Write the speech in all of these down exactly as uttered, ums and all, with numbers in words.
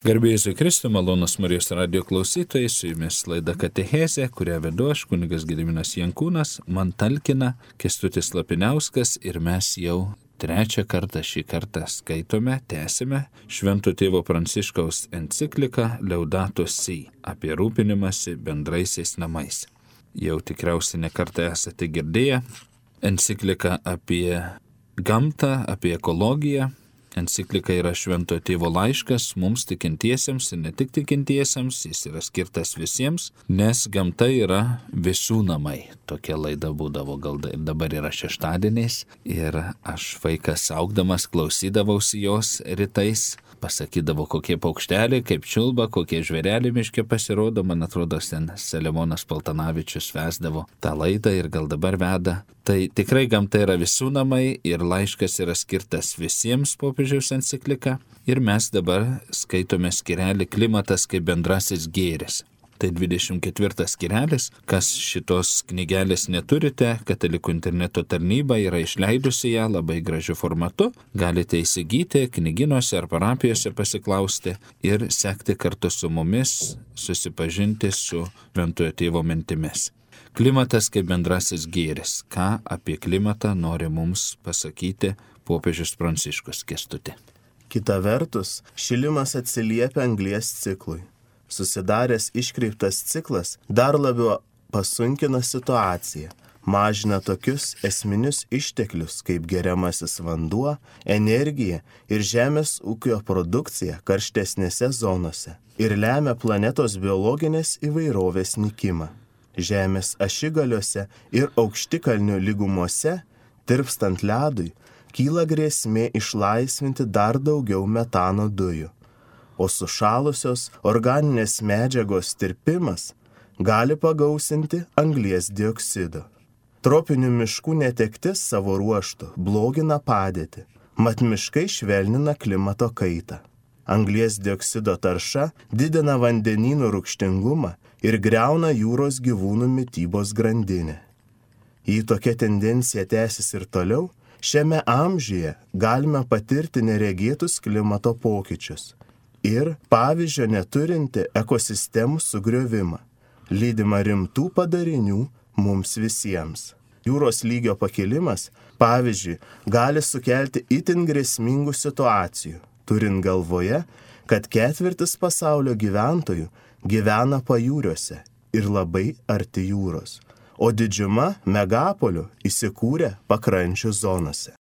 Garbė Jėzui Kristui, malonus Marijos radijo klausytojai, su jumis laida Katechezė, kurią vedu aš, kunigas Gediminas Jankūnas, man talkina Kęstutis Lapiniauskas ir mes jau trečią kartą šį kartą skaitome, tęsime Švento tėvo Pranciškaus encikliką Laudato Si apie rūpinimąsi bendraisiais namais. Jau tikriausiai ne kartą esate girdėję encikliką apie gamtą, apie ekologiją. Enciklika yra Švento tėvo laiškas mums tikintiesiems ir ne tik tikintiesiems, jis yra skirtas visiems, nes gamta yra visų namai. Tokia laida būdavo gal ir dabar yra šeštadieniais ir aš vaikas augdamas klausydavausi jos rytais, pasakydavo kokie paukšteliai, kaip čiulba, kokie žvėreliai miške pasirodo, man atrodo, ten Selemonas Paltanavičius vesdavo tą laidą ir gal dabar veda. Tai tikrai gamta yra visų namai ir laiškas yra skirtas visiems popiežiaus enciklika ir mes dabar skaitome skirelį Klimatas kaip bendrasis gėris. Tai dvidešimt ketvirtas skirelis, kas šitos knygelės neturite, Katalikų interneto tarnyba yra išleidusi ją labai gražiu formatu, galite įsigyti knyginuose ar parapijose pasiklausti ir sekti kartu su mumis, susipažinti su Šventojo tėvo mintimis. Klimatas kaip bendrasis gėris. Ką apie klimatą nori mums pasakyti popiežius Pranciškus, Kęstuti? Kita vertus, šilimas atsiliepia anglies ciklui. Susidaręs iškreiptas ciklas dar labiau pasunkina situaciją, mažina tokius esminius išteklius kaip geriamasis vanduo, energija ir žemės ūkio produkcija karštesnėse zonose ir lemia planetos biologinės įvairovės nykimą. Žemės ašigaliuose ir aukštikalnių lygumose, tirpstant ledui, kyla grėsmė išlaisvinti dar daugiau metano dujų. O sušalusios organinės medžiagos tirpimas gali pagausinti anglies dioksido. Tropinių miškų netektis savo ruožtu blogina padėtį, mat miškai švelnina klimato kaitą. Anglies dioksido tarša didina vandenynų rūgštingumą ir griauna jūros gyvūnų mitybos grandinę. Jei tokia tendencija tęsis ir toliau, šiame amžiuje galime patirti neregėtus klimato pokyčius ir pavyzdžio neturinti ekosistemų sugriovimą, lydimą rimtų padarinių mums visiems. Jūros lygio pakilimas, pavyzdžiui, gali sukelti itin grėsmingų situacijų, turint galvoje, kad ketvirtis pasaulio gyventojų gyvena pajūriuose ir labai arti jūros, o didžiuma megapolių įsikūrė pakrančių zonose.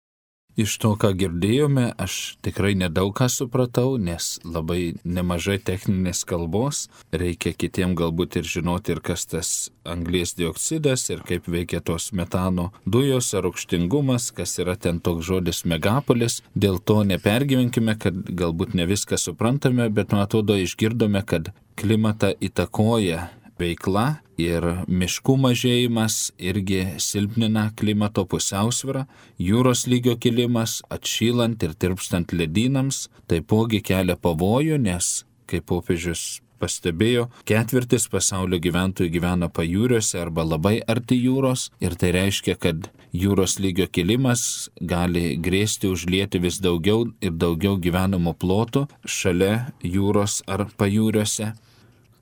Iš to, ką girdėjome, aš tikrai nedaug ką supratau, nes labai nemažai techninės kalbos. Reikia kitiem galbūt ir žinoti, ir kas tas anglies dioksidas, ir kaip veikia tos metano dujos, ar rūgštingumas, kas yra ten toks žodis megapolis. Dėl to nepergyvenkime, kad galbūt ne viską suprantame, bet man atrodo išgirdome, kad klimatą įtakoja veikla ir miškų mažėjimas irgi silpnina klimato pusiausvyrą, jūros lygio kilimas, atšylant ir tirpstant ledynams, taipogi kelia pavojų, nes, kaip popiežius pastebėjo, ketvirtis pasaulio gyventojų gyvena pajūriuose arba labai arti jūros ir tai reiškia, kad jūros lygio kilimas gali grėsti užlieti vis daugiau ir daugiau gyvenamų plotų šalia jūros ar pajūriuose.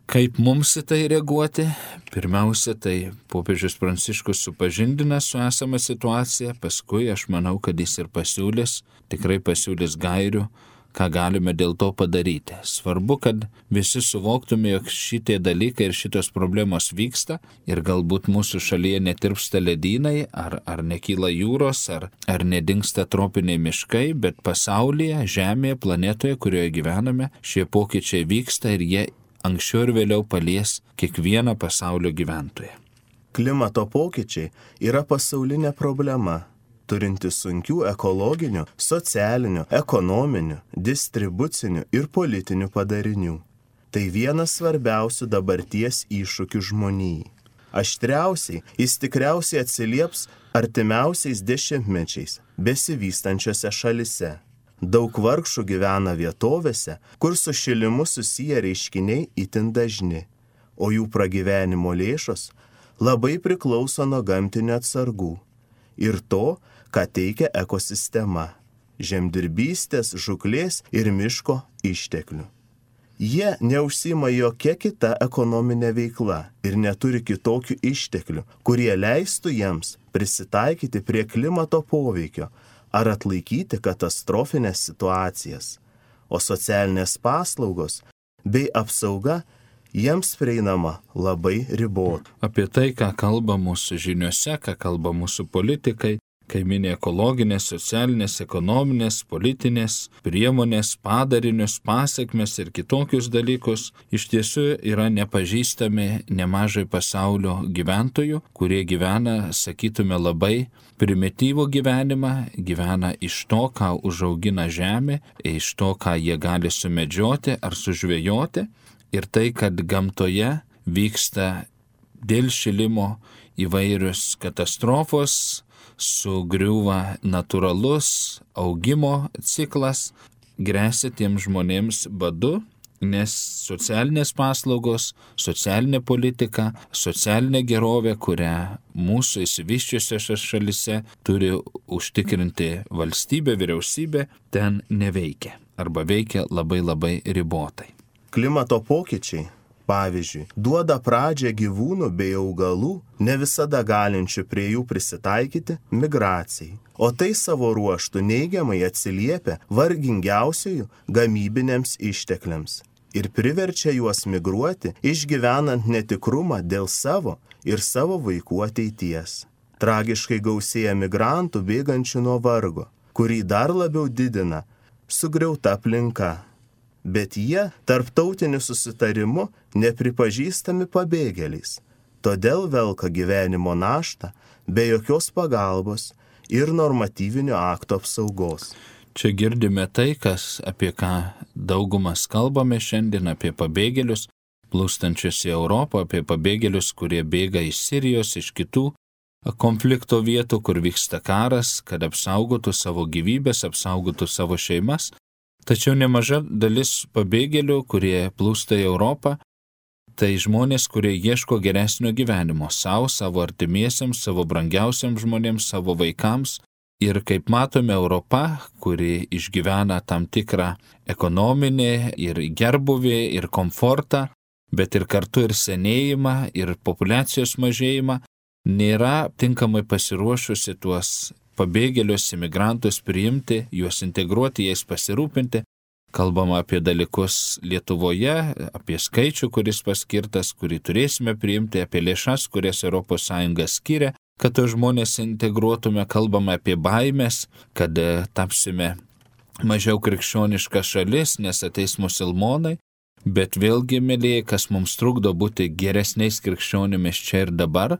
Kaip mums į tai reaguoti? Pirmiausia, tai popiežius Pranciškus supažindina su esama situacija, paskui aš manau, kad jis ir pasiūlys, tikrai pasiūlys gairių, ką galime dėl to padaryti. Svarbu, kad visi suvoktume, jog šitie dalykai ir šitos problemos vyksta ir galbūt mūsų šalyje netirpsta ledynai, ar, ar nekyla jūros, ar, ar nedingsta tropiniai miškai, bet pasaulyje, Žemėje, planetoje, kurioje gyvename, šie pokyčiai vyksta ir jie anksčiau ir vėliau palies kiekvieną pasaulio gyventoją. Klimato pokyčiai yra pasaulinė problema, turinti sunkių ekologinių, socialinių, ekonominių, distribucinių ir politinių padarinių. Tai vienas svarbiausių dabarties iššūkių žmonijai. Aštriausiai jis tikriausiai atsilieps artimiausiais dešimtmečiais besivystančiose šalise. Daug vargšų gyvena vietovėse, kur su šilimu susiję reiškiniai itin dažni, o jų pragyvenimo lėšos labai priklauso nuo gamtinių atsargų ir to, ką teikia ekosistema, žemdirbystės, žuklės ir miško išteklių. Jie neužsima jokia kita ekonominė veikla ir neturi kitokių išteklių, kurie leistų jiems prisitaikyti prie klimato poveikio ar atlaikyti katastrofinės situacijas, o socialinės paslaugos bei apsauga jiems prieinama labai ribota. Apie tai, ką kalba mūsų žiniuose, ką kalba mūsų politikai, kai mini ekologinės, socialinės, ekonominės, politinės priemonės, padarinius, pasiekmes ir kitokius dalykus, iš tiesų yra nepažįstami nemažai pasaulio gyventojų, kurie gyvena, sakytume, labai primityvų gyvenimą, gyvena iš to, ką užaugina žemė, iš to, ką jie gali sumedžioti ar sužvejoti, ir tai, kad gamtoje vyksta dėl šilimo įvairios katastrofos, sugriūva natūralus augimo ciklas, gresia tiems žmonėms badu, nes socialinės paslaugos, socialinė politika, socialinė gerovė, kurią mūsų išsivysčiusiose šalise turi užtikrinti valstybė, vyriausybė, ten neveikia arba veikia labai labai ribotai. Klimato pokyčiai, pavyzdžiui, duoda pradžią gyvūnų bei augalų, ne visada galinčių prie jų prisitaikyti, migracijai. O tai savo ruoštų neigiamai atsiliepia vargingiausiųjų gamybiniams ištekliams ir priverčia juos migruoti, išgyvenant netikrumą dėl savo ir savo vaikų ateities. Tragiškai gausėja migrantų bėgančių nuo vargo, kurį dar labiau didina sugriauta aplinka. Bet jie tarptautiniu susitarimu nepripažįstami pabėgėliais, todėl velka gyvenimo naštą be jokios pagalbos ir normatyvinio akto apsaugos. Čia girdime tai, kas, apie ką daugumas kalbame šiandien, apie pabėgėlius, plūstančius į Europą, apie pabėgėlius, kurie bėga iš Sirijos, iš kitų konflikto vietų, kur vyksta karas, kad apsaugotų savo gyvybės, apsaugotų savo šeimas. Tačiau nemaža dalis pabėgėlių, kurie plūsta į Europą, tai žmonės, kurie ieško geresnio gyvenimo savo, savo artimiesiems, savo brangiausiams žmonėms, savo vaikams. Ir kaip matome, Europa, kuri išgyvena tam tikrą ekonominį ir gerbuvį ir komfortą, bet ir kartu ir senėjimą ir populiacijos mažėjimą, nėra tinkamai pasiruošusi tuos pabėgėlius, imigrantus priimti, juos integruoti, jais pasirūpinti. Kalbama apie dalykus Lietuvoje, apie skaičių, kuris paskirtas, kurį turėsime priimti, apie lėšas, kurias Europos Sąjunga skiria, kad tos žmonės integruotume. Kalbama apie baimės, kad tapsime mažiau krikščioniška šalis, nes ateis musulmonai. Bet vėlgi, mėlyje, kas mums trukdo būti geresniais krikščionimis čia ir dabar,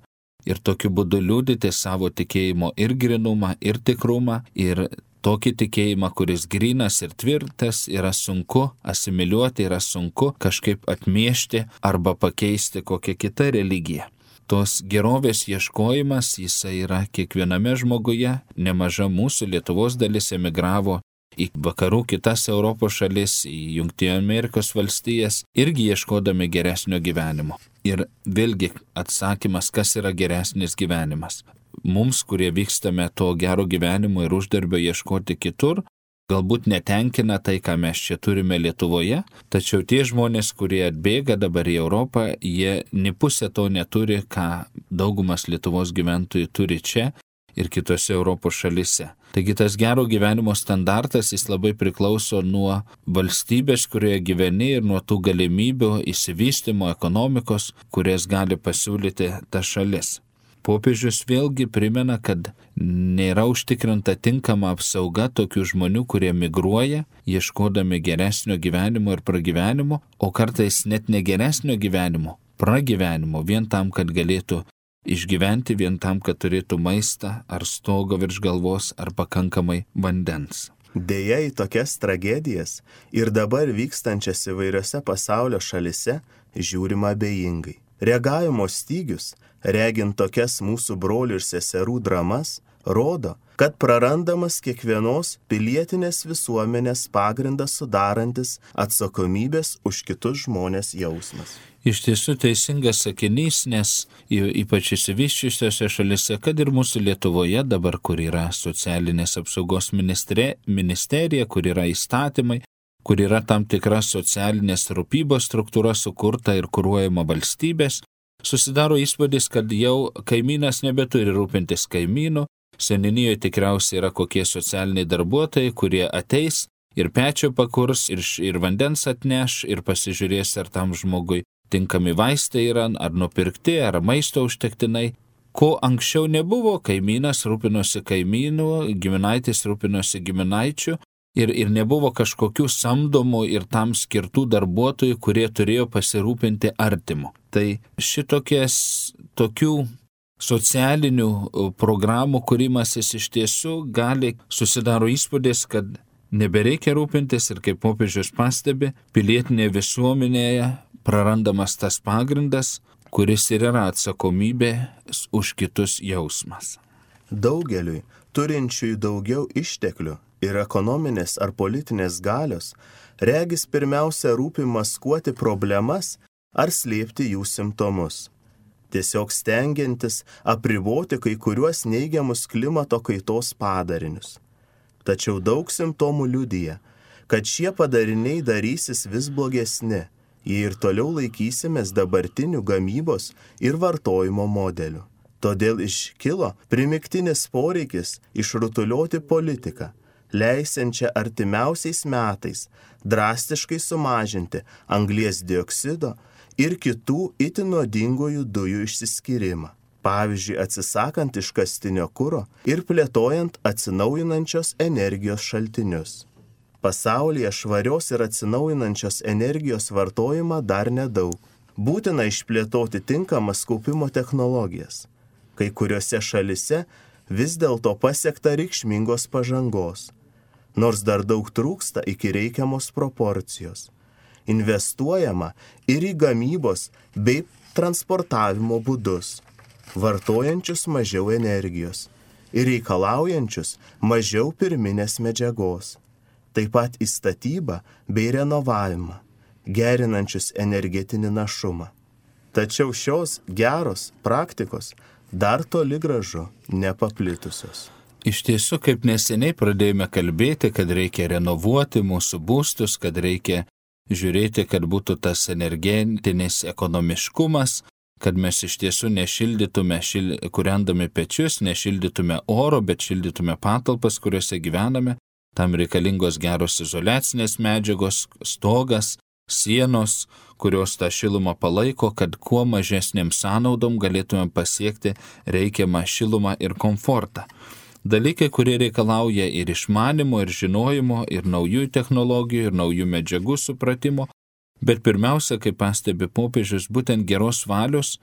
ir tokiu būdu liudyti savo tikėjimo ir grinumą, ir tikrumą, ir tokį tikėjimą, kuris grynas ir tvirtas, yra sunku asimiliuoti, yra sunku kažkaip atmiešti arba pakeisti kokią kitą religiją. Tos gerovės ieškojimas, jisai yra kiekviename žmoguje. Nemaža mūsų Lietuvos dalis emigravo į vakarų kitas Europos šalis, į Jungtinių Amerikos valstijas, irgi ieškodami geresnio gyvenimo. Ir vėlgi atsakymas, kas yra geresnis gyvenimas. Mums, kurie vykstame to gero gyvenimo ir uždarbio ieškoti kitur, galbūt netenkina tai, ką mes čia turime Lietuvoje, tačiau tie žmonės, kurie atbėga dabar į Europą, jie ni pusę to neturi, ką daugumas Lietuvos gyventojų turi čia ir kitose Europos šalise. Taigi tas gero gyvenimo standartas, jis labai priklauso nuo valstybės, kurioje gyveni, ir nuo tų galimybių išsivystymo ekonomikos, kurias gali pasiūlyti ta šalis. Popiežius vėlgi primena, kad nėra užtikrinta tinkama apsauga tokių žmonių, kurie migruoja, ieškodami geresnio gyvenimo ir pragyvenimo, o kartais net ne geresnio gyvenimo, pragyvenimo, vien tam, kad galėtų išgyventi, vien tam, kad turėtų maistą ar stogą virš galvos ar pakankamai vandens. Deja, į tokias tragedijas ir dabar vykstančias įvairiose pasaulio šalise žiūrima abejingai. Reagavimo stygius, regint tokias mūsų brolių ir seserų dramas, rodo, kad prarandamas kiekvienos pilietinės visuomenės pagrindas sudarantis atsakomybės už kitus žmonės jausmas. Iš tiesų teisingas sakinys, nes ypač išsivysčiusiose šalise, kad ir mūsų Lietuvoje dabar, kur yra socialinės apsaugos ministerija, kur yra įstatymai, kur yra tam tikra socialinės rūpybos struktūra sukurta ir kuruojama valstybės, susidaro įspūdis, kad jau kaimynas nebeturi rūpintis kaimynu, seniūnijoje tikriausiai yra kokie socialiniai darbuotojai, kurie ateis ir pečio pakurs, ir, ir vandens atneš, ir pasižiūrės, ar tam žmogui tinkami vaistai yra, ar nupirkti, ar maisto užtektinai. Ko anksčiau nebuvo, kaimynas rūpinosi kaimynu, giminaitis rūpinosi giminaičiu ir, ir nebuvo kažkokių samdomų ir tam skirtų darbuotojų, kurie turėjo pasirūpinti artimu. Tai šitokias tokių socialinių programų kūrimasis iš tiesų gali susidaro įspūdis, kad nebereikia rūpintis ir kaip popiežius pastebi, pilietinėje visuomenėje prarandamas tas pagrindas, kuris ir yra atsakomybė už kitus jausmas. Daugeliui, turinčiųjų daugiau išteklių ir ekonominės ar politinės galios, regis pirmiausia rūpi maskuoti problemas ar slėpti jų simptomus. Tiesiog stengiantis apriboti kai kuriuos neigiamus klimato kaitos padarinius. Tačiau daug simptomų liudija, kad šie padariniai darysis vis blogesni, jei ir toliau laikysimės dabartinių gamybos ir vartojimo modelių. Todėl iškilo primygtinis poreikis išrutulioti politiką, leisiančią artimiausiais metais drastiškai sumažinti anglies dioksido ir kitų itin nuodingųjų dujų išsiskyrimą. Pavyzdžiui, atsisakant iškastinio kuro ir plėtojant atsinaujinančios energijos šaltinius. Pasaulyje švarios ir atsinaujinančios energijos vartojimą dar nedaug. Būtina išplėtoti tinkamas kaupimo technologijas. Kai kuriuose šalise vis dėlto pasiekta reikšmingos pažangos, nors dar daug trūksta iki reikiamos proporcijos. Investuojama ir į gamybos bei transportavimo būdus, vartojančius mažiau energijos ir reikalaujančius mažiau pirminės medžiagos. Taip pat į statybą bei renovavimą, gerinančius energetinį našumą. Tačiau šios geros praktikos dar toli gražu nepaplitusios. Iš tiesų, kaip neseniai pradėjome kalbėti, kad reikia renovuoti mūsų būstus, kad reikia žiūrėti, kad būtų tas energetinis ekonomiškumas, kad mes iš tiesų nešildytume, šil... kūrendami pečius, nešildytume oro, bet šildytume patalpas, kuriuose gyvename. Tam reikalingos geros izoliacinės medžiagos, stogas, sienos, kurios tą šilumą palaiko, kad kuo mažesnėm sąnaudom galėtume pasiekti reikiamą šilumą ir komfortą. Dalykai, kurie reikalauja ir išmanimo, ir žinojimo, ir naujų technologijų, ir naujų medžiagų supratimo, bet pirmiausia, kaip pastebi popiežius, būtent geros valios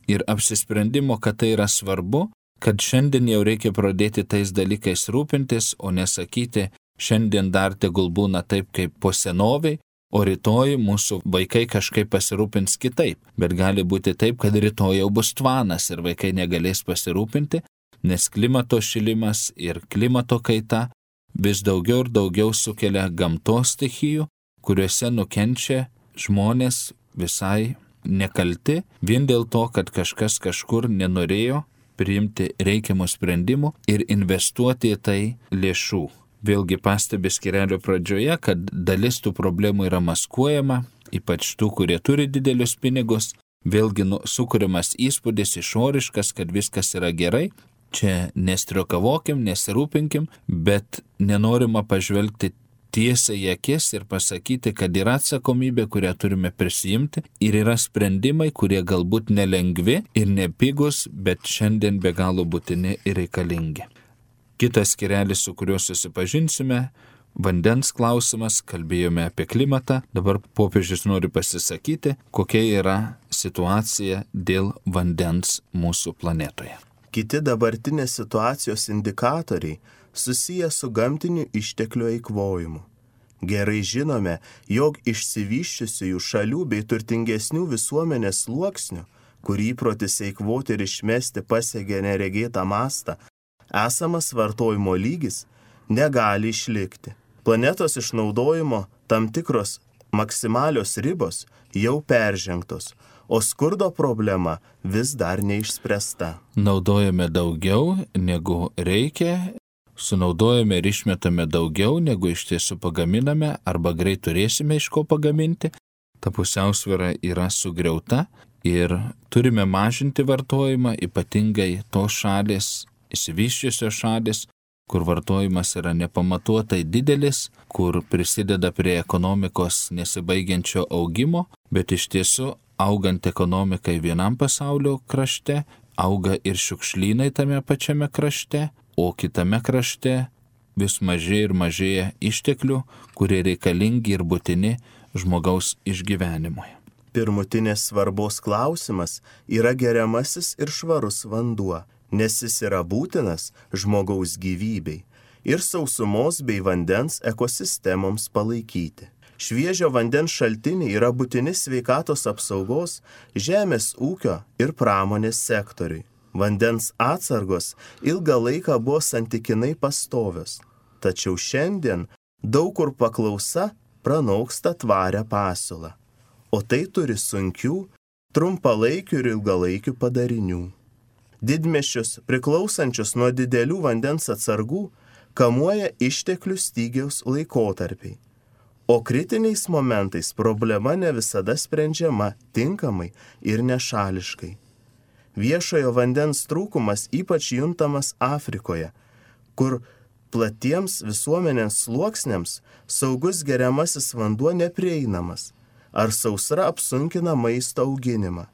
ir apsisprendimo, kad tai yra svarbu, kad šiandien jau reikia pradėti tais dalykais rūpintis, o nesakyti, šiandien dar tegul būna taip, kaip po senoviai, o rytoj mūsų vaikai kažkaip pasirūpins kitaip. Bet gali būti taip, kad rytoj jau bus tvanas ir vaikai negalės pasirūpinti, nes klimato šilimas ir klimato kaita vis daugiau ir daugiau sukelia gamtos stichijų, kuriuose nukenčia žmonės visai nekalti, vien dėl to, kad kažkas kažkur nenorėjo priimti reikiamų sprendimų ir investuoti į tai lėšų. Vėlgi pastebi skyrelio pradžioje, kad dalis tų problemų yra maskuojama, ypač tų, kurie turi didelius pinigus, vėlgi nu, sukuriamas įspūdis išoriškas, kad viskas yra gerai, čia nestriokavokim, nesirūpinkim, bet nenorima pažvelgti tiesiai į akis ir pasakyti, kad yra atsakomybė, kurią turime prisijimti ir yra sprendimai, kurie galbūt nelengvi ir nepigus, bet šiandien be galo būtini ir reikalingi. Kitas skyrelis, su kuriuo susipažinsime, vandens klausimas, kalbėjome apie klimatą, dabar popiežius nori pasisakyti, kokia yra situacija dėl vandens mūsų planetoje. Kiti dabartinės situacijos indikatoriai susiję su gamtiniu išteklių eikvojimu. Gerai žinome, jog išsivysčiusiųjų šalių bei turtingesnių visuomenės sluoksnių, kur įprotis eikvoti ir išmesti pasiekia neregėtą mastą, esamas vartojimo lygis negali išlikti. Planetos išnaudojimo tam tikros maksimalios ribos jau peržengtos, o skurdo problema vis dar neišspręsta. Naudojame daugiau negu reikia, sunaudojame ir išmetame daugiau, negu iš tiesų pagaminame, arba greit turėsime iš ko pagaminti, ta pusiausvyra yra sugriauta ir turime mažinti vartojimą, ypatingai tos šalys, išsivysčiusios šalys, kur vartojimas yra nepamatuotai didelis, kur prisideda prie ekonomikos nesibaigiančio augimo, bet iš tiesų augant ekonomikai vienam pasaulio krašte, auga ir šiukšlynai tame pačiame krašte, o kitame krašte vis mažėja ir mažėja išteklių, kurie reikalingi ir būtini žmogaus išgyvenimui. Pirmutinės svarbos klausimas yra geriamasis ir švarus vanduo, nes jis yra būtinas žmogaus gyvybei ir sausumos bei vandens ekosistemoms palaikyti. Šviežio vandens šaltiniai yra būtini sveikatos apsaugos, žemės ūkio ir pramonės sektoriui. Vandens atsargos ilgą laiką buvo santykinai pastovios, tačiau šiandien daug kur paklausa pranoksta tvarę pasiūlą, o tai turi sunkių, trumpalaikių ir ilgalaikių padarinių. Didmiesčius, priklausančius nuo didelių vandens atsargų, kamuoja išteklių stygiaus laikotarpiai. O kritiniais momentais problema ne visada sprendžiama tinkamai ir nešališkai. Viešojo vandens trūkumas ypač juntamas Afrikoje, kur platiems visuomenės sluoksniams saugus geriamasis vanduo neprieinamas, ar sausra apsunkina maisto auginimą.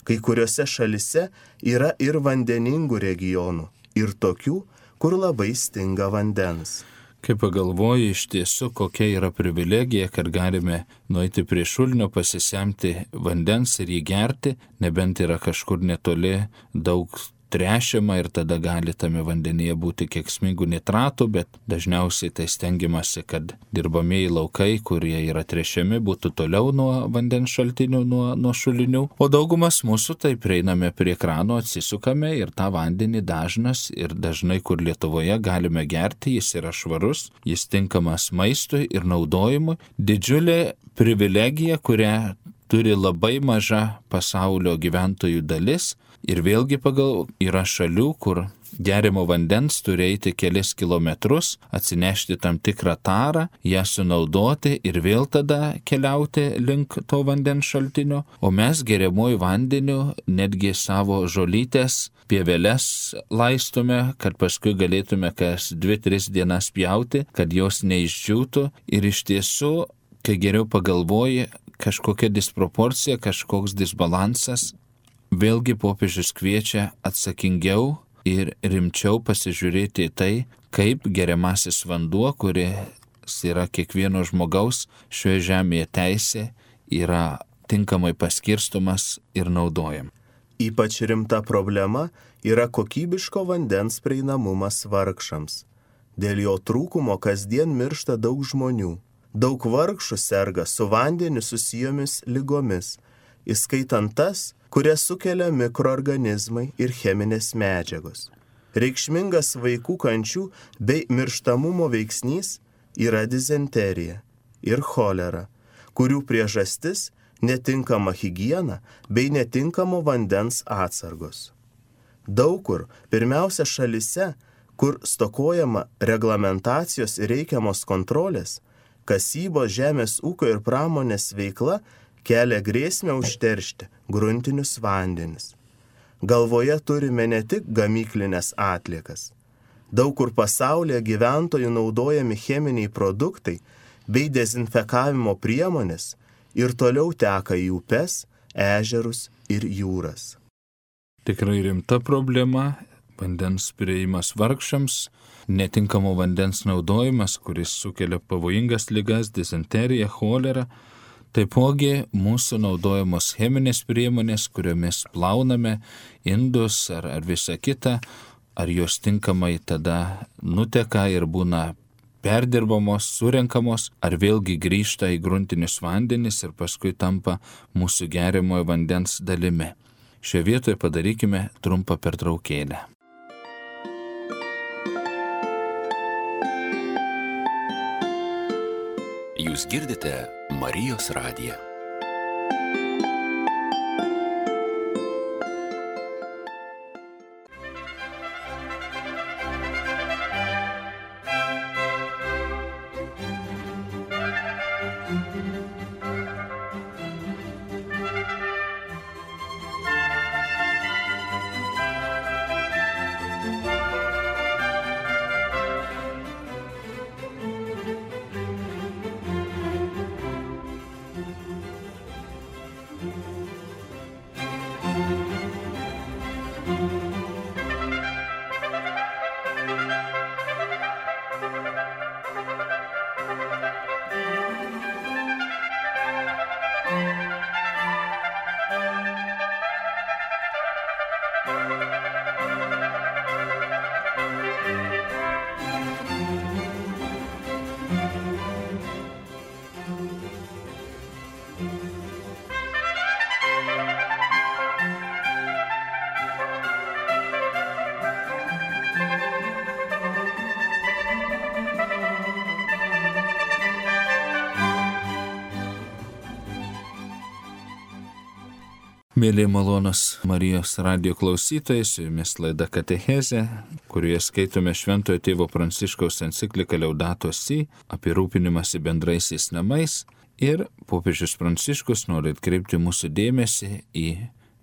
Kai kuriuose šalise yra ir vandeningų regionų, ir tokių, kur labai stinga vandens. Kai pagalvoji iš tiesų, kokia yra privilegija, kad galime nueiti prie šulinio, pasisemti vandens ir jį gerti, nebent yra kažkur netoli daug tręšiama ir tada gali tame vandenyje būti kenksmingų nitratų, bet dažniausiai tai stengiamasi, kad dirbamieji laukai, kurie yra tręšiami, būtų toliau nuo vandens šaltinių, nuo, nuo šulinių. O daugumas mūsų tai prieiname prie krano, atsisukame ir tą vandenį dažnas ir dažnai, kur Lietuvoje galime gerti, jis yra švarus, jis tinkamas maistui ir naudojimui. Didžiulė privilegija, kurią turi labai maža pasaulio gyventojų dalis. Ir vėlgi pagal yra šalių, kur geriamo vandens turi eiti kelis kilometrus, atsinešti tam tikrą tarą, ją sunaudoti ir vėl tada keliauti link to vandens šaltinio. O mes geriamuoju vandeniu netgi savo žolytės, pieveles laistome, kad paskui galėtume kas dvi, tris dienas pjauti, kad jos neišdžiūtų. Ir iš tiesų, kai geriau pagalvoji, kažkokia disproporcija, kažkoks disbalansas, vėlgi popiežius kviečia atsakingiau ir rimčiau pasižiūrėti į tai, kaip geriamasis vanduo, kuris yra kiekvieno žmogaus šioje žemėje teisė, yra tinkamai paskirstomas ir naudojam. Ypač rimta problema yra kokybiško vandens prieinamumas vargšams. Dėl jo trūkumo kasdien miršta daug žmonių. Daug vargšų serga su vandeniu susijomis ligomis, įskaitant tas, kurias sukelia mikroorganizmai ir cheminės medžiagos. Reikšmingas vaikų kančių bei mirštamumo veiksnys yra dizenterija ir cholera, kurių priežastis netinkama higiena bei netinkamo vandens atsargos. Daug kur, pirmiausia šalise, kur stokojama reglamentacijos ir reikiamos kontrolės, kasybos, žemės ūkio ir pramonės veikla kelia grėsmę užteršti gruntinius vandenis. Galvoje turime ne tik gamyklinės atliekas. Daug kur pasaulyje gyventojų naudojami cheminiai produktai bei dezinfekavimo priemonės ir toliau teka į upes, ežerus ir jūras. Tikrai rimta problema, vandens prieimas vargšams, netinkamo vandens naudojimas, kuris sukelia pavojingas ligas, dizenteriją, cholerą. Taipogi mūsų naudojamos cheminės priemonės, kuriomis plauname indus ar, ar visą kitą, ar jos tinkamai tada nuteka ir būna perdirbamos, surenkamos, ar vėlgi grįžta į gruntinius vandenis ir paskui tampa mūsų geriamojo vandens dalimi. Šioje vietoje padarykime trumpą pertraukėlę. Jūs girdite Marijos radiją. Mėly malonus Marijos radijo klausytojai, su jumis laida Katechezė, kurioje skaitome Šventojo tėvo Pranciškaus encikliką Laudato Si apie rūpinimąsi bendraisiais namais, ir popiežius Pranciškus nori atkreipti mūsų dėmesį į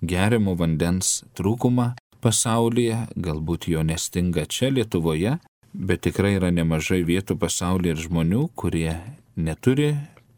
geriamo vandens trūkumą pasaulyje, galbūt jo nestinga čia Lietuvoje, bet tikrai yra nemažai vietų pasaulyje ir žmonių, kurie neturi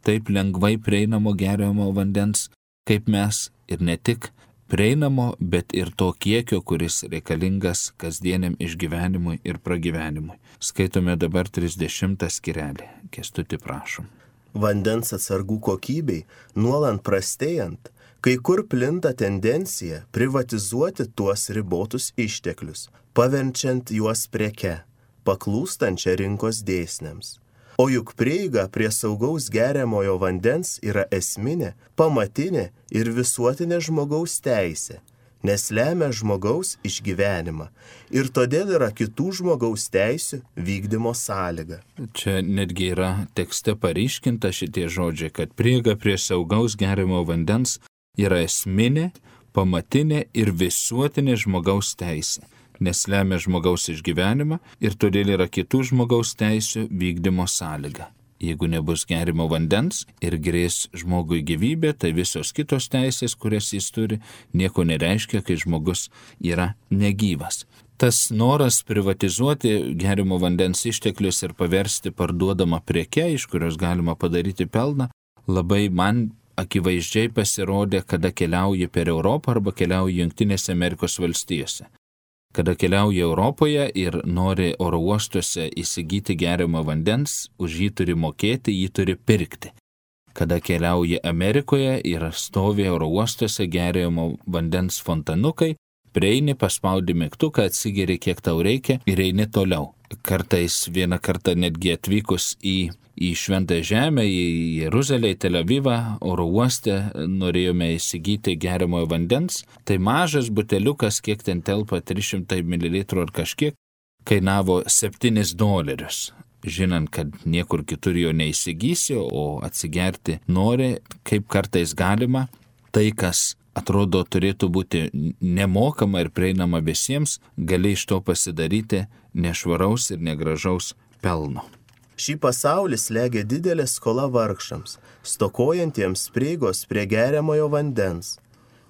taip lengvai prieinamo geriamo vandens kaip mes, ir ne tik prieinamo, bet ir to kiekio, kuris reikalingas kasdieniam išgyvenimui ir pragyvenimui. Skaitome dabar trisdešimtą skyrelį. Kęstuti, prašom. Vandens atsargų kokybei nuolant prastėjant, kai kur plinta tendencija privatizuoti tuos ribotus išteklius, paverčiant juos preke, paklūstančią rinkos dėsniams. O juk prieiga prie saugaus geriamojo vandens yra esminė, pamatinė ir visuotinė žmogaus teisė, nes lemia žmogaus išgyvenimą ir todėl yra kitų žmogaus teisių vykdymo sąlyga. Čia netgi yra tekste paryškinta šitie žodžiai, kad prieiga prie saugaus geriamojo vandens yra esminė, pamatinė ir visuotinė žmogaus teisė, nes lemia žmogaus išgyvenimą ir todėl yra kitų žmogaus teisių vykdymo sąlyga. Jeigu nebus gerimo vandens ir grės žmogui gyvybė, tai visos kitos teisės, kurias jis turi, nieko nereiškia, kai žmogus yra negyvas. Tas noras privatizuoti gerimo vandens išteklius ir paversti parduodamą preke, iš kurios galima padaryti pelną, labai man akivaizdžiai pasirodė, kada keliauji per Europą arba keliauji Jungtinėse Amerikos valstijose. Kada keliauja Europoje ir nori oro uostuose įsigyti geriamo vandens, už jį turi mokėti, jį turi pirkti. Kada keliauja Amerikoje ir stovi oro uostuose geriamo vandens fontanukai, prieini, paspaudi mygtuką, atsigeri kiek tau reikia ir eini toliau. Kartais vieną kartą netgi atvykus į, į Šventąją Žemę, į Jeruzalę, į Tel Avivą, oro uoste norėjome įsigyti geriamojo vandens, tai mažas buteliukas, kiek ten telpa, trys šimtai mililitrų ar kažkiek, kainavo septynis dolerius. Žinant, kad niekur kitur jo neįsigysi, o atsigerti nori, kaip kartais galima, tai kas atrodo turėtų būti nemokama ir prieinama visiems, gali iš to pasidaryti nešvaraus ir negražaus pelno. Šį pasaulį slegia didelė skola vargšams, stokojantiems prieigos prie geriamojo vandens,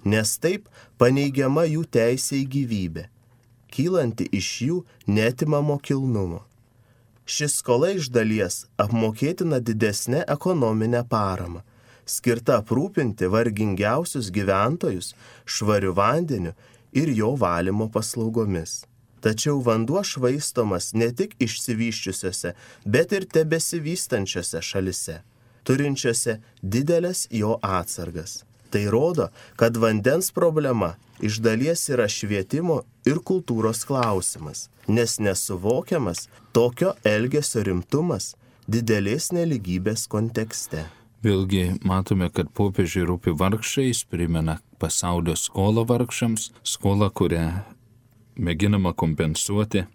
nes taip paneigiama jų teisė į gyvybę, kylanti iš jų neatimamo kilnumo. Ši skola iš dalies apmokėtina didesnė ekonominė parama, skirta aprūpinti vargingiausius gyventojus švariu vandeniu ir jo valymo paslaugomis. Tačiau vanduo švaistomas ne tik išsivyščiusiose, bet ir tebesivystančiose šalise, turinčiose didelės jo atsargas. Tai rodo, kad vandens problema iš dalies yra švietimo ir kultūros klausimas, nes nesuvokiamas tokio elgesio rimtumas didelės neligybės kontekste. Vėlgi matome, kad popiežiui rūpi vargšai, jis primena pasaulio skolą vargšams, skolą, kurią mėginama kompensuoti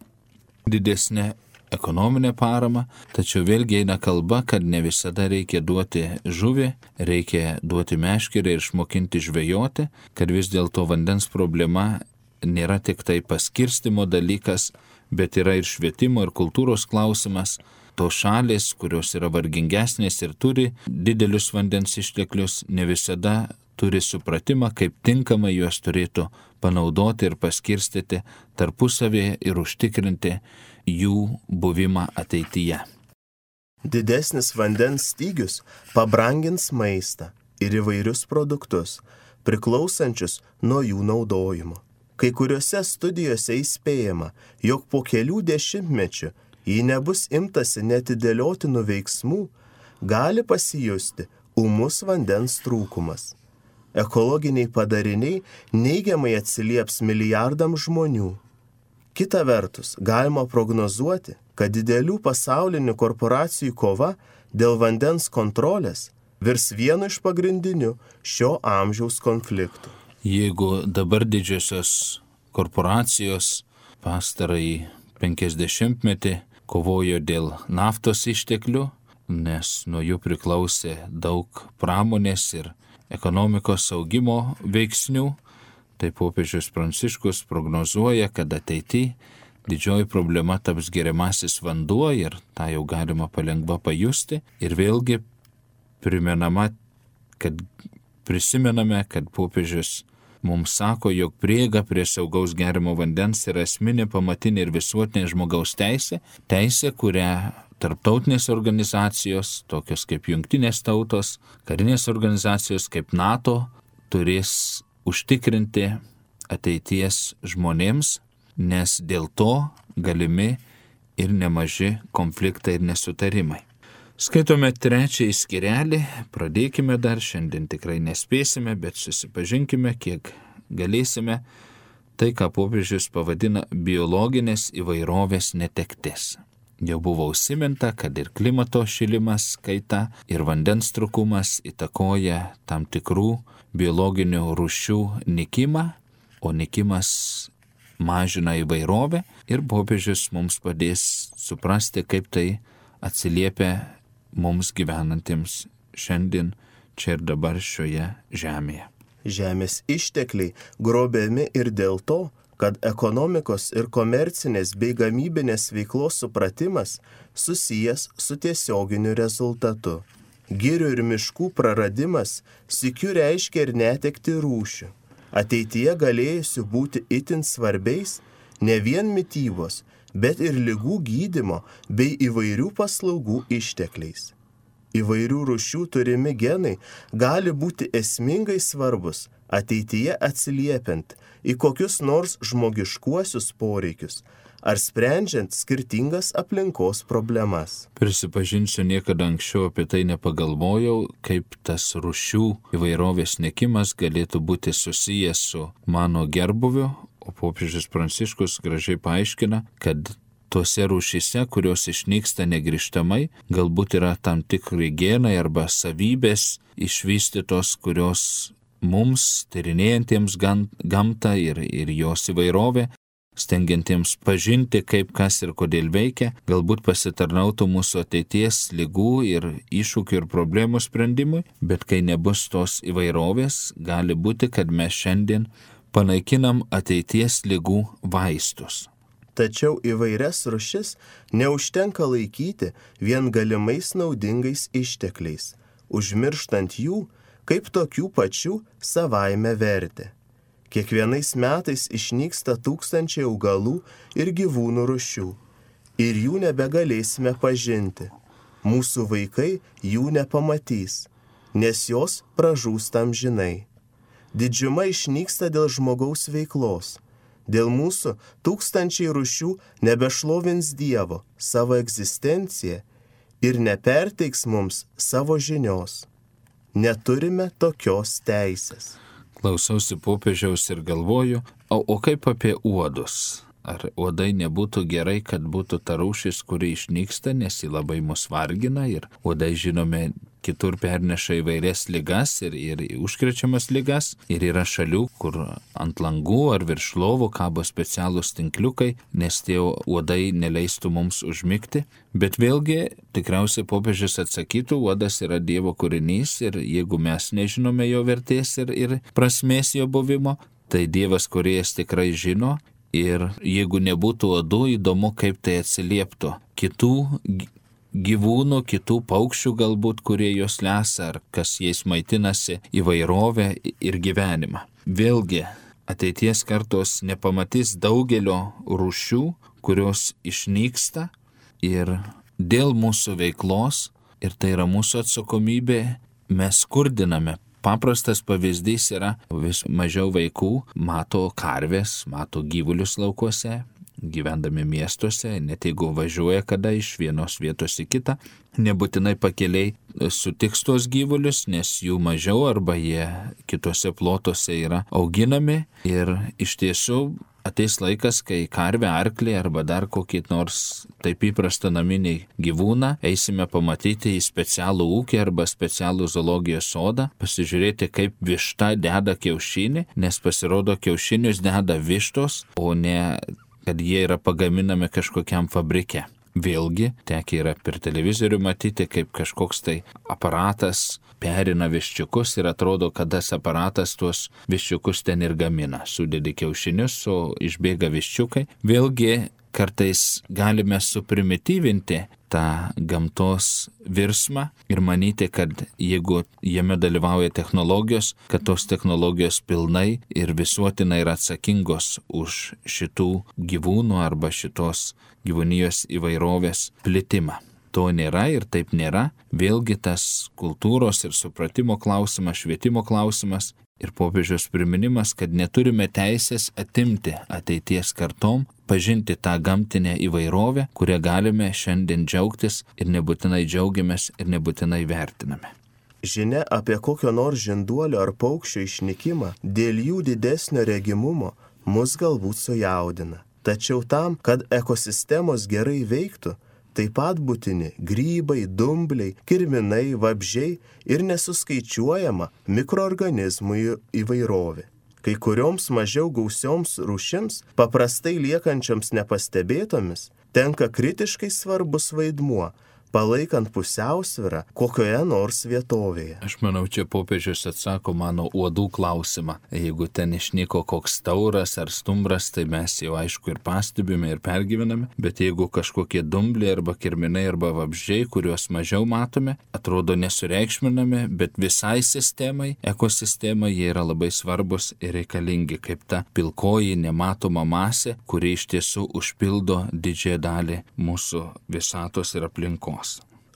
didesnė ekonominė parama, tačiau vėlgi eina kalba, kad ne visada reikia duoti žuvį, reikia duoti meškerę ir išmokinti žvejoti, kad vis dėlto vandens problema nėra tik tai paskirstimo dalykas, bet yra ir švietimo ir kultūros klausimas. Tos šalis, kurios yra vargingesnės ir turi didelius vandens išteklius, ne visada turi supratimą, kaip tinkamai juos turėtų panaudoti ir paskirstyti tarpusavėje ir užtikrinti jų buvimą ateityje. Didesnis vandens stygius pabrangins maistą, ir įvairius produktus, priklausančius nuo jų naudojimo. Kai kuriuose studijose įspėjama, jog po kelių dešimtmečių, jei nebus imtasi netidėliotinų veiksmų, gali pasijusti ūmus vandens trūkumas. Ekologiniai padariniai neigiamai atsilieps milijardams žmonių. Kita vertus, galima prognozuoti, kad didelių pasaulinių korporacijų kova dėl vandens kontrolės virs vienu iš pagrindinių šio amžiaus konfliktų. Jeigu dabar didžiosios korporacijos pastarąjį penkiasdešimtmetį kovojo dėl naftos išteklių, nes nuo jų priklausė daug pramonės ir ekonomikos augimo veiksnių, tai popiežius Pranciškus prognozuoja, kad ateityje didžioji problema taps geriamasis vanduo ir tą jau galima palengva pajusti. Ir vėlgi primenama, kad prisimename, kad popiežius mums sako, jog prieiga prie saugaus gerimo vandens yra esminė, pamatinė ir visuotinė žmogaus teisė, teisė, kurią tarptautinės organizacijos, tokios kaip Jungtinės tautos, karinės organizacijos kaip NATO, turės užtikrinti ateities žmonėms, nes dėl to galimi ir nemaži konfliktai ir nesutarimai. Skaitome trečiąjį skyrelį, pradėkime dar, šiandien tikrai nespėsime, bet susipažinkime, kiek galėsime, tai, ką popiežius pavadina biologinės įvairovės netektis. Jau buvo užsiminta, kad ir klimato šilimas, kaita ir vandens trūkumas įtakoja tam tikrų biologinių rūšių nykimą, o nykimas mažina įvairovę ir popiežius mums padės suprasti, kaip tai atsiliepia mums gyvenantiems šiandien čia ir dabar šioje žemėje. Žemės ištekliai grobiami ir dėl to, kad ekonomikos ir komercinės bei gamybinės veiklos supratimas susijęs su tiesioginiu rezultatu. Girių ir miškų praradimas sykiu reiškia ir netekti rūšių, ateityje galėjusių būti itin svarbiais ne vien mitybos, bet ir ligų gydymo bei įvairių paslaugų ištekliais. Įvairių rūšių turimi genai gali būti esmingai svarbus, ateityje atsiliepiant į kokius nors žmogiškuosius poreikius ar sprendžiant skirtingas aplinkos problemas. Prisipažinsiu, niekada anksčiau apie tai nepagalvojau, kaip tas rūšių įvairovės nykimas galėtų būti susijęs su mano gerbuviu, o popiežius Pranciškus gražiai paaiškina, kad tose rūšyse, kurios išnyksta negrįžtamai, galbūt yra tam tikri genai arba savybės išvystytos, kurios mums, tyrinėjantiems gamtą ir, ir jos įvairovę, stengiantiems pažinti, kaip kas ir kodėl veikia, galbūt pasitarnautų mūsų ateities ligų ir iššūkių ir problemų sprendimui, bet kai nebus tos įvairovės, gali būti, kad mes šiandien panaikinam ateities ligų vaistus. Tačiau įvairias rūšis neužtenka laikyti vien galimais naudingais ištekliais, užmirštant jų kaip tokių pačių savaime vertę. Kiekvienais metais išnyksta tūkstančiai augalų ir gyvūnų rūšių, ir jų nebegalėsime pažinti. Mūsų vaikai jų nepamatys, nes jos pražūsta amžinai. Didžiuma išnyksta dėl žmogaus veiklos. Dėl mūsų tūkstančiai rūšių nebešlovins Dievo savo egzistenciją ir neperteiks mums savo žinios. Neturime tokios teisės. Klausausi popiežiaus ir galvoju, o, o kaip apie uodus? Ar uodai nebūtų gerai, kad būtų ta rūšis, kuri išnyksta, nes ji labai mus vargina ir uodai, žinome, kitur perneša įvairias ligas ir, ir užkrečiamas ligas. Ir yra šalių, kur ant langų ar virš lovų kabo specialūs tinkliukai, nes tie uodai neleistų mums užmigti. Bet vėlgi, tikriausiai popiežius atsakytų, uodas yra Dievo kūrinys ir jeigu mes nežinome jo vertės ir, ir prasmės jo buvimo, tai Dievas kūrėjas tikrai žino. Ir jeigu nebūtų uodų, įdomu, kaip tai atsilieptų kitų gyvūnų, kitų paukščių galbūt, kurie jos lesa, ar kas jais maitinasi, įvairovę ir gyvenimą. Vėlgi, ateities kartos nepamatys daugelio rūšių, kurios išnyksta ir dėl mūsų veiklos, ir tai yra mūsų atsakomybė, mes skurdiname paprastas pavyzdys yra, vis mažiau vaikų mato karves, mato gyvulius laukuose, gyvendami miestuose, net jeigu važiuoja kada iš vienos vietos į kitą, nebūtinai pakeliai sutiks tos gyvulius, nes jų mažiau arba jie kitose plotuose yra auginami ir iš tiesų ateis laikas, kai karvę, arklį arba dar kokį nors taip įprastą naminį gyvūną eisime pamatyti į specialų ūkį arba specialų zoologijos sodą, pasižiūrėti, kaip višta deda kiaušinį, nes pasirodo kiaušinius deda vištos, o ne kad jie yra pagaminami kažkokiam fabrike. Vėlgi, tekia yra per televizorių matyti, kaip kažkoks tai aparatas perina viščiukus ir atrodo, kad tas aparatas tuos viščiukus ten ir gamina. Sudedi kiaušinius, o išbėga viščiukai. Vėlgi, kartais galime suprimityvinti tą gamtos virsmą ir manyti, kad jeigu jame dalyvauja technologijos, kad tos technologijos pilnai ir visuotinai yra atsakingos už šitų gyvūnų arba šitos gyvūnijos įvairovės plitimą. To nėra ir taip nėra. Vėlgi tas kultūros ir supratimo klausimas, švietimo klausimas ir popiežiaus priminimas, kad neturime teisės atimti ateities kartom, pažinti tą gamtinę įvairovę, kurią galime šiandien džiaugtis ir nebūtinai džiaugiamės ir nebūtinai vertiname. Žinia apie kokio nors žinduolio ar paukščio išnykimą dėl jų didesnio regimumo mus galbūt sujaudina. Tačiau tam, kad ekosistemos gerai veiktų, taip pat būtini grybai, dumbliai, kirminai, vabzdžiai ir nesuskaičiuojama mikroorganizmų įvairovė. Kai kurioms mažiau gausioms rūšims, paprastai liekančioms nepastebėtomis, tenka kritiškai svarbus vaidmuo, palaikant pusiausvyrą kokioje nors vietovėje. Aš manau, čia popiežius atsako mano uodų klausimą. Jeigu ten išnyko koks tauras ar stumbras, tai mes jau aišku ir pastebime ir pergyvename, bet jeigu kažkokie dumbliai arba kirminai arba vabzdžiai, kuriuos mažiau matome, atrodo nesureikšminami, bet visai sistemai, ekosistemai jie yra labai svarbus ir reikalingi, kaip ta pilkoji nematoma masė, kuri iš tiesų užpildo didžiąją dalį mūsų visatos ir aplinkos.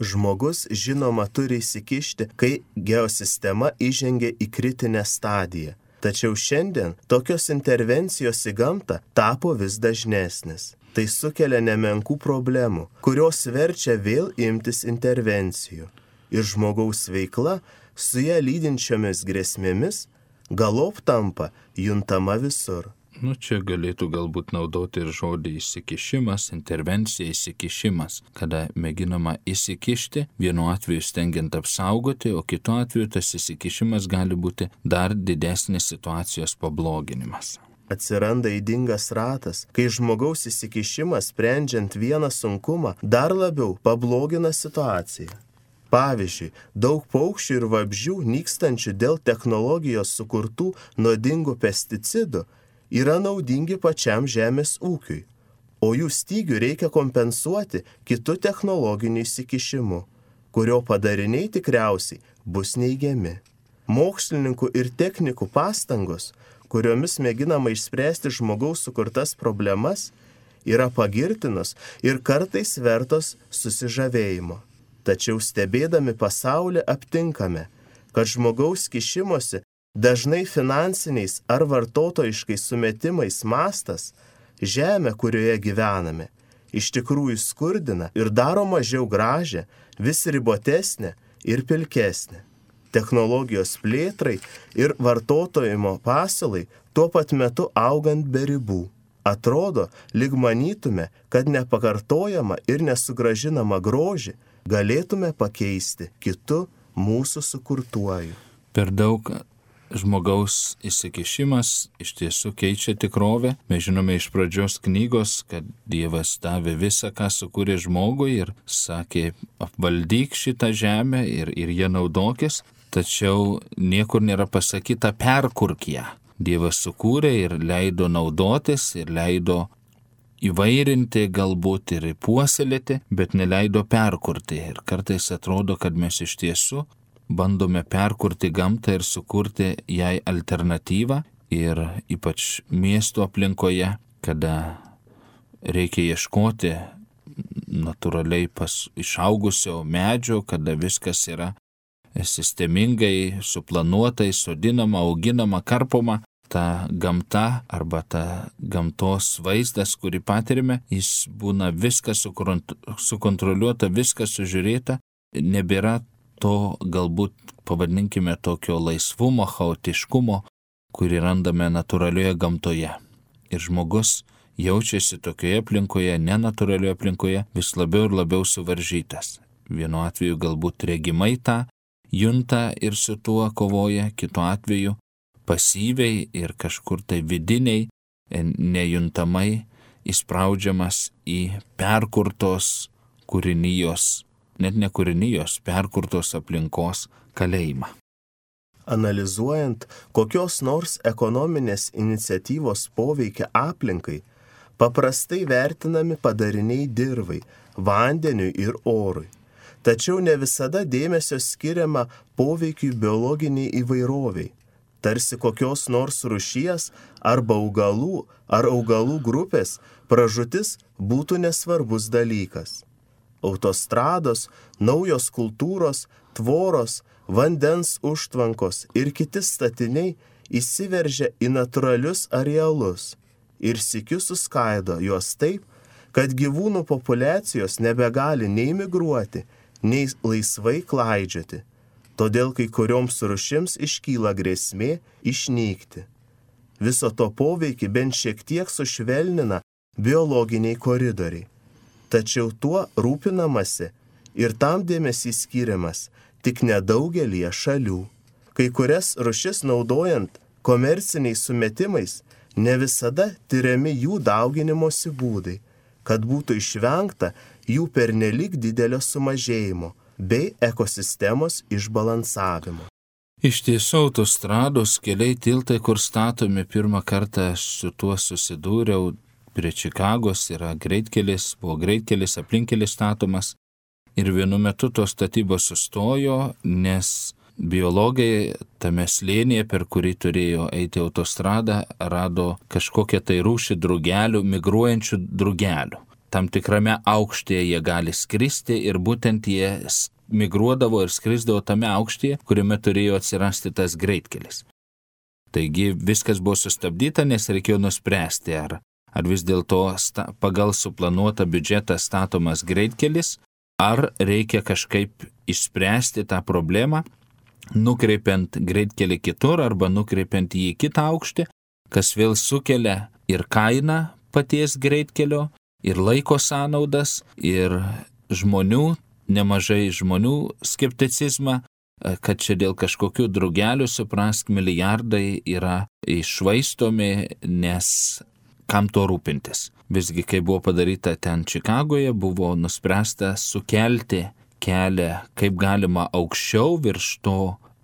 Žmogus, žinoma, turi įsikišti, kai geosistema įžengia į kritinę stadiją. Tačiau šiandien tokios intervencijos į gamtą tapo vis dažnesnis. Tai sukelia nemenkų problemų, kurios verčia vėl imtis intervencijų. Ir žmogaus veikla su ją lydinčiomis grėsmėmis galop tampa juntama visur. Nu, čia galėtų galbūt naudoti ir žodį įsikišimas, intervencija, įsikišimas, kada mėginama įsikišti, vienu atveju stengiant apsaugoti, o kitu atveju tas įsikišimas gali būti dar didesnis situacijos pabloginimas. Atsiranda ydingas ratas, kai žmogaus įsikišimas, sprendžiant vieną sunkumą, dar labiau pablogina situaciją. Pavyzdžiui, daug paukščių ir vabzdžių nykstančių dėl technologijos sukurtų nuodingų pesticidų yra naudingi pačiam žemės ūkiui, o jų stygių reikia kompensuoti kitų technologinių įsikišimų, kurio padariniai tikriausiai bus neigiami. Mokslininkų ir technikų pastangos, kuriomis mėginama išspręsti žmogaus sukurtas problemas, yra pagirtinos ir kartais vertos susižavėjimo. Tačiau stebėdami pasaulį aptinkame, kad žmogaus kišimosi dažnai finansiniais ar vartotojiškais sumetimais mastas žemę, kurioje gyvename, iš tikrųjų skurdina ir daro mažiau gražią, vis ribotesnę ir pilkesnę. Technologijos plėtrai ir vartotojimo pasiūlai tuo pat metu augant be ribų. Atrodo, lyg manytume, kad nepakartojama ir nesugražinama grožį galėtume pakeisti kitu mūsų sukurtuoju. Per daug žmogaus įsikišimas iš tiesų keičia tikrovę. Mes žinome iš pradžios knygos, kad Dievas davė visą, ką sukūrė žmogui ir sakė, apvaldyk šitą žemę ir, ir ją naudokis, tačiau niekur nėra pasakyta perkurk ją. Dievas sukūrė ir leido naudotis ir leido įvairinti, galbūt ir puoselėti, bet neleido perkurti. Ir kartais atrodo, kad mes iš tiesų bandome perkurti gamtą ir sukurti jai alternatyvą ir ypač miesto aplinkoje, kada reikia ieškoti natūraliai pas išaugusio medžio, kada viskas yra sistemingai, suplanuotai, sodinama, auginama, karpoma. Ta gamta arba ta gamtos vaizdas, kurį patirime, jis būna viskas sukontroliuota, viskas sužiūrėta. Nebėra to galbūt, pavadinkime, tokio laisvumo, chaotiškumo, kurį randame natūralioje gamtoje. Ir žmogus jaučiasi tokioje aplinkoje, nenatūralioje aplinkoje, vis labiau ir labiau suvaržytas. Vienu atveju galbūt regimai tą junta ir su tuo kovoja, kitu atveju pasyviai ir kažkur tai vidiniai, nejuntamai įspraudžiamas į perkurtos kūrinijos, net ne kūrinijos, perkurtos aplinkos kalėjimą. Analizuojant kokios nors ekonominės iniciatyvos poveikia aplinkai, paprastai vertinami padariniai dirvai, vandeniui ir orui. Tačiau ne visada dėmesio skiriama poveikiui biologiniai įvairoviai. Tarsi kokios nors rūšies arba augalų ar augalų grupės pražūtis būtų nesvarbus dalykas. Autostrados, naujos kultūros, tvoros, vandens užtvankos ir kiti statiniai įsiveržia į natūralius arealus ir sykiu suskaido juos taip, kad gyvūnų populiacijos nebegali nei migruoti, nei laisvai klaidžioti. Todėl kai kurioms rūšims iškyla grėsmė išnykti. Viso to poveikį bent šiek tiek sušvelnina biologiniai koridoriai. Tačiau tuo rūpinamasi ir tam dėmesys skiriamas tik nedaugelį šalių. Kai kurias rūšis naudojant komerciniais sumetimais, ne visada tyriami jų dauginimosi būdai, kad būtų išvengta jų pernelyg didelio sumažėjimo bei ekosistemos išbalansavimo. Iš tiesų, autostrados, keliai, tiltai, kur statomi, pirmą kartą su tuo susidūriau prie Čikagos, yra greitkelis, buvo greitkelis, aplinkkelis statomas ir vienu metu tos statybos sustojo, nes biologai tame slėnyje, per kurį turėjo eiti autostrada, rado kažkokią tai rūšį drugelių, migruojančių drugelių. Tam tikrame aukštyje jie gali skristi ir būtent jie migruodavo ir skrisdavo tame aukštyje, kuriame turėjo atsirasti tas greitkelis. Taigi viskas buvo sustabdyta, nes reikėjo nuspręsti, ar, ar vis dėlto sta, pagal suplanuotą biudžetą statomas greitkelis, ar reikia kažkaip išspręsti tą problemą, nukreipiant greitkelį kitur arba nukreipiant jį į kitą aukštį, kas vėl sukelia ir kainą paties greitkelio, ir laiko sąnaudas, ir žmonių, nemažai žmonių skepticizmą, kad čia dėl kažkokių drugelių, suprask, milijardai yra iššvaistomi, nes kam to rūpintis. Visgi, kai buvo padaryta ten Čikagoje, buvo nuspręsta sukelti kelią kaip galima aukščiau virš to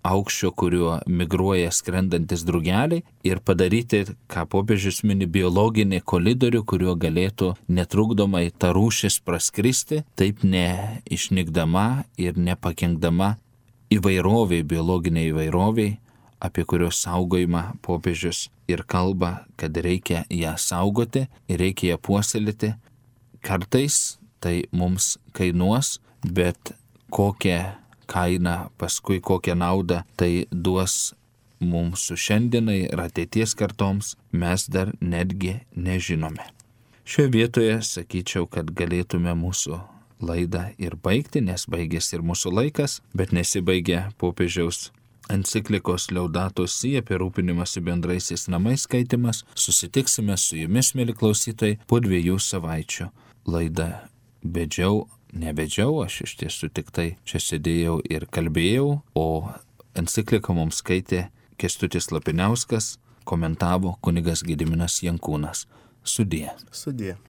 aukščio, kuriuo migruoja skrendantis drugeliai, ir padaryti, ką popiežius mini, biologinį koridorių, kuriuo galėtų netrukdomai ta rūšis praskristi, taip neišnykdama ir nepakenkdama įvairoviai, biologiniai įvairoviai, apie kurios saugojimą popiežius ir kalba, kad reikia ją saugoti ir reikia ją puoselėti. Kartais tai mums kainuos, bet kokią kainą, paskui kokią naudą tai duos mūsų šiandienai ir ateities kartoms, mes dar netgi nežinome. Šioje vietoje sakyčiau, kad galėtume mūsų laidą ir baigti, nes baigėsi ir mūsų laikas, bet nesibaigė popiežiaus enciklikos Laudato Si apie rūpinimąsi bendraisiais namais skaitimas. Susitiksime su jumis, mieli klausytojai, po dviejų savaičių. Laidą vedžiau, nevedžiau, aš iš tiesų tik tai čia sėdėjau ir kalbėjau, o encikliką mums skaitė Kęstutis Lapiniauskas, komentavo kunigas Gediminas Jankūnas. Sudie. Sudie.